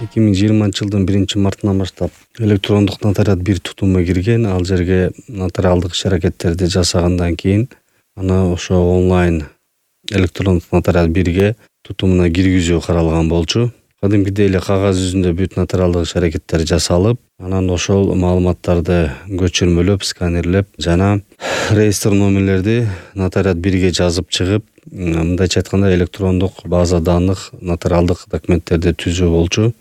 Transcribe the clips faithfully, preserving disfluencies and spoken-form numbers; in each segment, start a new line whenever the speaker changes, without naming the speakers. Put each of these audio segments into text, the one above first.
эки миң жыйырманчы жылдын биринчи мартынан баштап электрондук нотариат бир тутумга кирген. Ал жерге нотариалдык иш-аракеттерди жасагандан кийин аны ошо онлайн электрондук нотариат бирге тутумуна киргизүү каралган болчу. Кадимкидей эле кагаз жүзүндө бүт нотариалдык иш-аракеттер жасалып, анан ошол маалыматтарды көчүрмөлөп, сканерлеп жана реестр номерлерди нотариат бирге жазып чыгып, мындайча айтканда электрондук база данных нотариалдык документтерди түзүү болчу.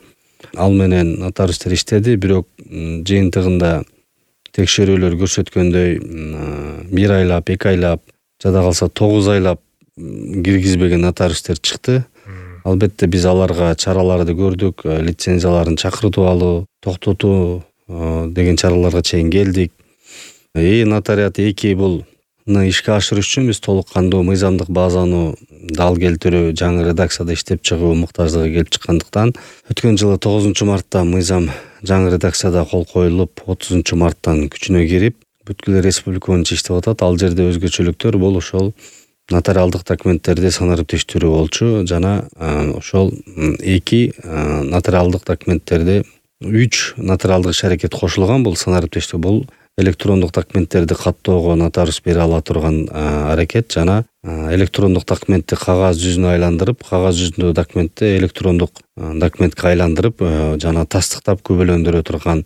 Ал менен нотариустер иштеди, бирок жыйынтыгында текшерүүлөр көрсөткөндөй бир айлап, эки айлап, жада калса тогуз айлап киргизбеген нотариустер чыкты. Албетте биз аларга чараларды көрдүк, лицензияларын чакыртып алуу, токтотуу деген чараларга чейин келдик. E-нотариат эки бул ишке ашырыш үчүн биз толук кандуу мыйзамдык базаны дал келтирүү, жаңы редакцияда иштеп чыгуу муктаждыгы келип чыккандыктан өткөн жылы тогузунчу мартта мыйзам жаңы редакцияда кол коюлуп, отузунчу марттан күчүнө кирип, бүткүл республика боюнча иштеп атат. Ал жерде өзгөчөлүктөр бул ошол нотариалдык документтерди санариптештирүү болчу жана ошол эки нотариалдык документтерди үч нотариалдык иш-аракет кошулган. Бул санариптештөө бул электрондук документтерди каттоого нотариус бере ала турган аракет жана электрондук документти кагаз жүзүнө айландырып, кагаз жүзүндөгү документти электрондук документке айландырып жана тастыктап күбөлөндүрө турган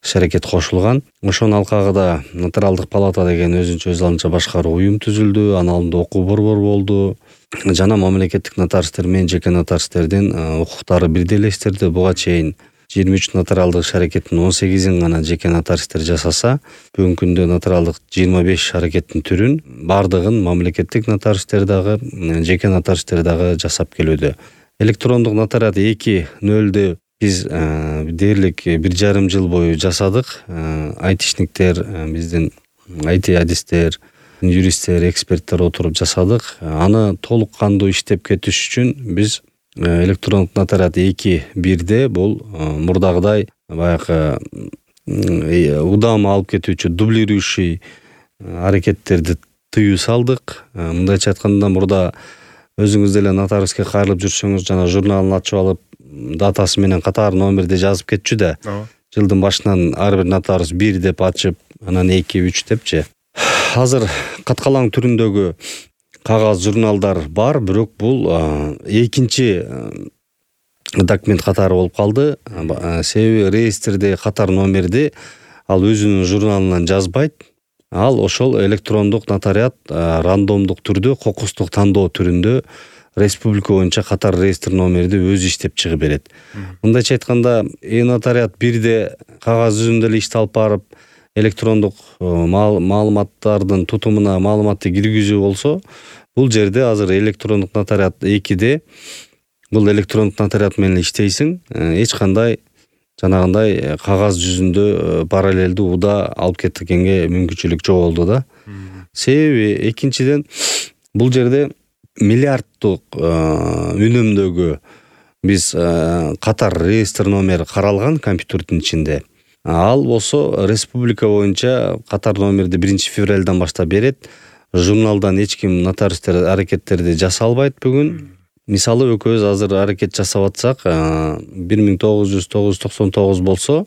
иш-аракет кошулган. Ошонун алкагында нотариалдык палата деген өзүнчө өз алынча башкаруу уюм түзүлдү, анын алдында окуу борбор болду жана мамлекеттик нотариустер менен жеке нотариустердин укуктары бирдей элестирди. Буга чейин жыйырма үч нотариалдык иш-аракеттин он сегизин гана жеке нотариустер жасаса, бүгүнкү күндө нотариалдык жыйырма беш иш-аракеттин түрүн бардыгын мамлекеттик нотариустер дагы, жеке нотариустер дагы жасап келүүдө. Электрондук нотариат эки нөлдү биз дээрлик бир жарым жыл бою жасадык. Айтишниктер, биздин айти адистер, юристтер, эксперттер отуруп жасадык. Аны толук кандуу иштеп кетиш үчүн биз электрондук нотариат эки бирде бул мурдагыдай баягы удам алып кетүүчү дублирующий аракеттерди тыюу салдык. Мындайча айтканда, мурда өзүңүз деле нотариуске кайрылып жүрсөңүз жана журналын ачып алып, датасы менен катар номерди жазып кетчү да. Жылдын башынан ар бир нотариус бир деп ачып, анан эки, үч депчи. Азыр каткалаң түрүндөгү кагаз журналдар бар, бирок бул экинчи документ катары болуп калды. Себеби реестрде катар номерди ал өзүнүн журналынан жазбайт. Ал ошол электрондук нотариат рандомдук түрдө, кокустук тандоо түрүндө республика боюнча катар реестр номерди өзү иштеп чыгып берет. Мындайча айтканда, e-нотариат бирде кагаз жүзүндө эле ишти алып барып, электрондук маалыматтардын тутумуна маалыматты киргизүү болсо, бул жерде азыр электрондук нотариат экиде бул электрондук нотариат менен иштейсиң, эч кандай жанагындай кагаз жүзүндө параллелдүү уда алып кеткенге мүмкүнчүлүк жок болду да. Себеби экинчиден бул жерде миллиарддык үнөмдөгү биз катар реестр номери каралган компьютердин ичинде. Ал болсо республика боюнча катар номерди биринчи февралдан баштап берет. Журналдан эч ким нотариустер аракеттерди жаса албайт бүгүн. Мисалы экөөбүз азыр аракет жасап атсак, бир миң тогуз жүз токсон тогуз болсо,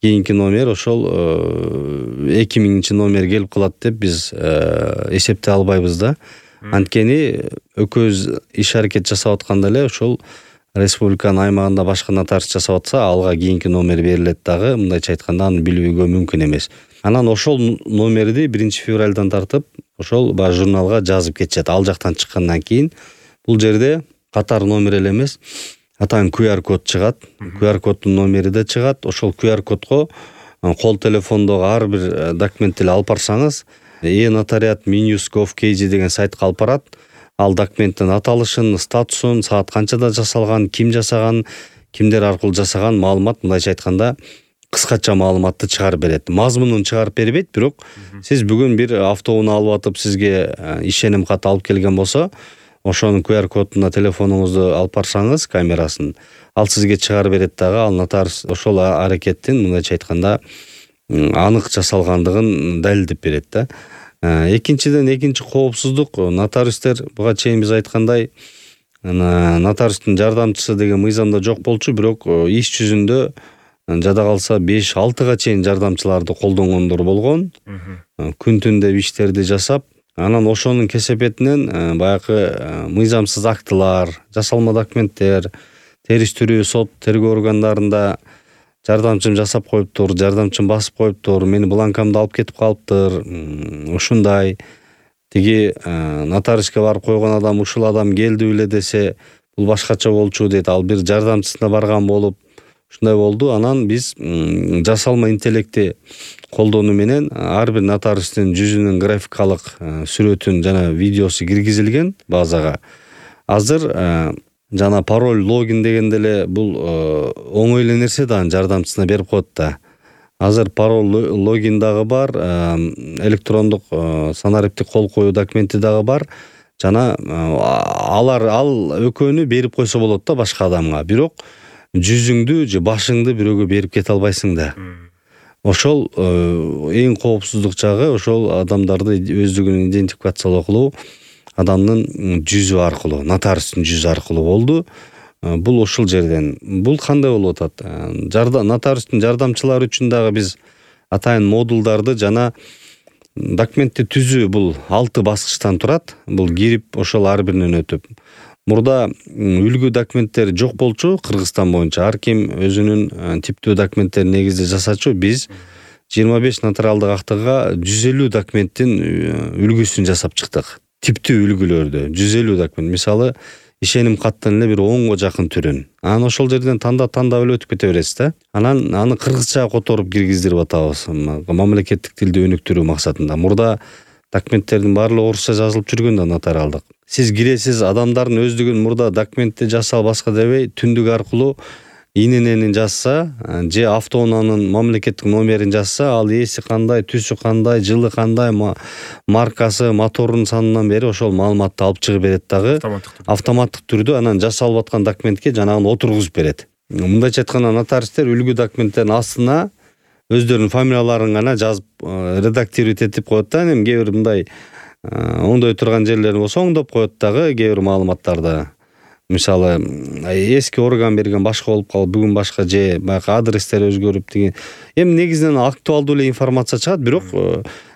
кийинки номер ошол эки миңинчи номер келип калат деп биз эсептей албайбыз да. Анткени экөөбүз иш-аракет жасап атканда эле ошол республиканын аймагында башка нотариус жасап атса, алга кийинки номер берилет дагы. Мындайча айтканда, аны билүүгө мүмкүн эмес. Анан ошол номерди биринчи февралдан тартып, ошол баш журналга жазып кетишет. Ал жактан чыккандан кийин бул жерде катар номер эле эмес, атайын ку ар код чыгат. ку ар коддун номери да чыгат. Ошол ку ар кодго кол телефондогу ар бир документти алып барсаңыз, e-нотариат минус gov kg деген сайтка алып барат. Ал документтин аталышын, статусун, саат канчада жасалган, ким жасаган, кимдер аркылуу жасаган маалымат, мындайча айтканда, кыскача маалыматты чыгарып берет. Мазмунун чыгарып бербейт, бирок сиз бүгүн бир автоунаа алып атып, сизге ишеним кат алып келген болсо, ошонун ку ар кодуна телефонуңузду алып барсаңыз, камерасын, ал сизге чыгарып берет дагы. Ал нотариус ошол аракеттин, мындайча айтканда, анык жасалгандыгын далилдеп берет да. Экинчиден, экинчи коопсуздук, нотариустер буга чейин биз айткандай, Ана нотариустун жардамчысы деген мыйзамда жок болчу, бирок иш жүзүндө жада калса беш алтыга чейин жардамчыларды колдонгондор болгон. Күн түн деп иштерди жасап, анан ошонун кесепетинен баягы мыйзамсыз актылар, жасалма документтер, териштирүү сот тергөө органдарында жардамчым жасап коюптур, жардамчым басып коюптур, мени бланкамды алып кетип калыптыр, ушундай. Тиги нотариуске барып койгон адам ушул адам келди беле десе, бул башкача болчу дейт. Ал бир жардамчысына барган болуп, ушундай болду. Анан биз жасалма интеллекти колдонуу менен ар бир нотариустун жүзүнүн графикалык сүрөтүн жана видеосу киргизилген базага. Азыр жана пароль, логин дегенде эле бул оңой эле нерсе да, жардамчысына берип коет да. Азыр пароль, логин дагы бар, электрондук санариптик кол коюу документи дагы бар. Жана алар ал экөөнү берип койсо болот да башка адамга. Бирок жүзүңдү же башыңды бирөөгө берип кете албайсың да. Ошол эң коопсуздук жагы ошол адамдарды өздүгүн идентификациялоо адамдын жүзү аркылуу, нотариустун жүзү аркылуу болду. Бул ушул жерден. Бул кандай болуп атат? Жардам нотариустун жардамчылары үчүн дагы биз атайын модулдарды жана документти түзүү бул алты баскычтан турат. Бул кирип ошол ар биринен өтүп. Мурда үлгү документтер жок болчу Кыргызстан боюнча. Ар ким өзүнүн типтүү документтерин негизде жасачу. Биз жыйырма беш нотариалдык актыга жүз элүү документтин үлгүсүн жасап чыктык. Типтүү үлгүлөрдү жүз элүү документ. Мисалы, ишеним каттын эле бир онго жакын түрүн. Анан ошол жерден тандап тандап эле өтүп кете бересиз да. Анан аны кыргызчага которуп киргиздирип атабыз. Мамлекеттик тилди өнүктүрүү максатында. Мурда документтердин баардыгы орусча жазылып жүргөн да нотариалдык. Сиз киресиз, адамдардын өздүгүн мурда документти жасал башка дебей, түндүк аркылуу ИНН жазса, же автоунаанын мамлекеттик номерин жазса, ал ээси кандай, түсү кандай, жылы кандай, маркасы, моторунун санынан бери ошол маалыматты алып чыгып берет дагы. Автоматтык түрдө анан жасалып аткан документке жанагын отургузуп берет. Мындайча айтканда нотариустер үлгү документтердин астына өздөрүнүн фамилияларын гана жазып редактировать этип коет да. Эми кээ бир мындай оңдой турган жерлери болсо оңдоп коет дагы кээ бир маалыматтарды. Мисалы, эски орган берген башка болуп калып, бүгүн башка же баягы адрестер өзгөрүп деген. Эми негизинен актуалдуу эле информация чыгат, бирок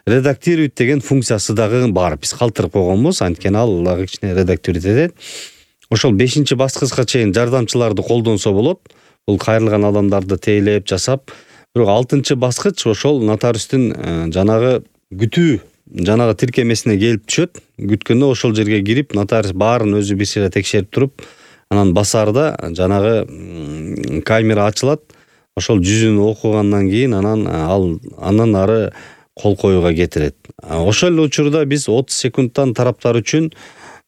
редактировать деген функциясы дагы бар. Биз калтырып койгонбуз, анткени ал дагы кичине редактировать этет. Ошол бешинчи баскычка чейин жардамчыларды колдонсо болот. Бул кайрылган адамдарды тейлеп жасап, бирок алтынчы баскыч ошол нотариустун жанагы күтүү жанагы тиркемесине келип түшөт. Күткөндө ошол жерге кирип, нотариус баарын өзү бир сыйра текшерип туруп, анан басарда жанагы камера ачылат. Ошол жүзүн окугандан кийин анан ал андан ары кол коюуга кетирет. Ошол эле учурда биз отуз секундтан тараптар үчүн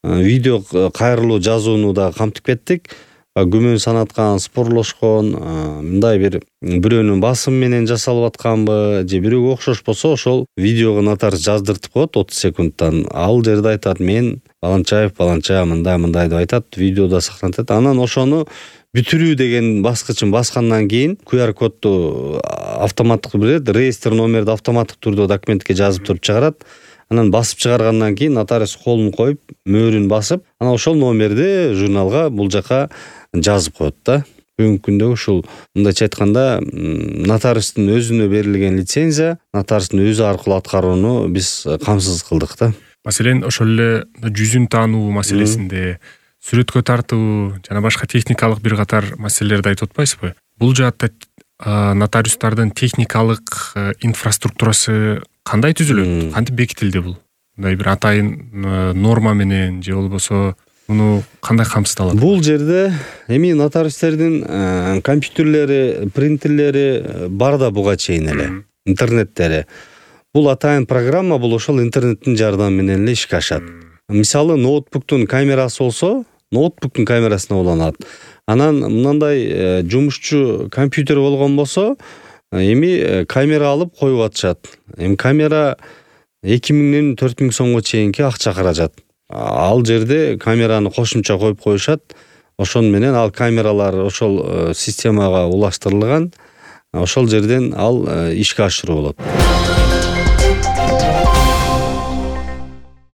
видео кайрылуу жазууну да камтып кеттик. Күмөн санаткан, спорлошкон, мындай бир бирөөнүн басым менен жасалып атканбы, же бирөөгө окшош болсо, ошол видеого нотариус жаздыртып коет отуз секундтан. Ал жерде айтат, мен Баланчаев, Баланча мындай мындай деп айтат, видеодо сактанат. Анан ошону бүтүрүү деген баскычын баскандан кийин ку ар кодду автоматтык берет, реестр номерди автоматтык түрдө документке жазып туруп чыгарат. Анан басып чыгаргандан кийин нотариус колун коюп, мөөрүн басып, анан ошол номерди журналга бул жака жазып коет да. Бүгүнкү күндө ушул мындайча айтканда нотариустун өзүнө берилген лицензия, нотариустун өзү аркылуу аткарууну биз камсыз кылдык да.
Маселен, ошол эле жүзүн таануу маселесинде, сүрөткө тартуу жана башка техникалык бир катар маселелерди айтып атпайсызбы? Бул жаатта нотариустардын техникалык инфраструктурасы кандай түзүлөт? Кантип бекитилди бул? Мындай бир атайын норма менен же болбосо муну кандай камсыздалат?
Бул жерде эми нотариустердин компьютерлери, принтерлери бар да буга чейин эле, интернеттери. Бул атайын программа, бул ошол интернеттин жардамы менен эле ишке ашат. Мисалы, ноутбуктун камерасы болсо, ноутбуктун камерасына уланат. Анан мындай жумушчу компьютер болгон болсо, эми камера алып коюп атышат. Эми камера эки миңден төрт миң сомго чейинки акча каражат. Ал жерде камераны кошумча коюп коюшат. Ошон менен ал камералар ошол системага улаштырылган. Ошол жерден ал ишке ашыруу болот.